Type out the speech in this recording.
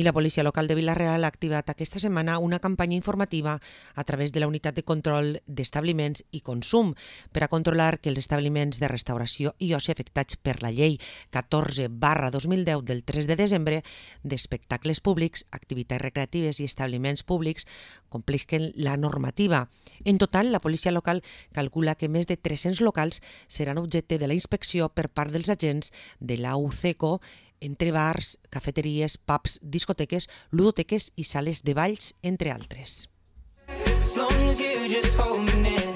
I la policia local de Vila-real ha activat aquesta setmana una campanya informativa a través de la unitat de control d'establiments i consum per a controlar que els establiments de restauració i oci afectats per la llei 14/2010 del 3 de desembre d'espectacles públics, activitats recreatives i establiments públics complisquen la normativa. En total, la policia local calcula que més de 300 locals seran objecte de la inspecció per part dels agents de la UCECO entre bars, cafeteries, pubs, discoteques, ludoteques i sales de balls, entre altres. As long as you just hold me near.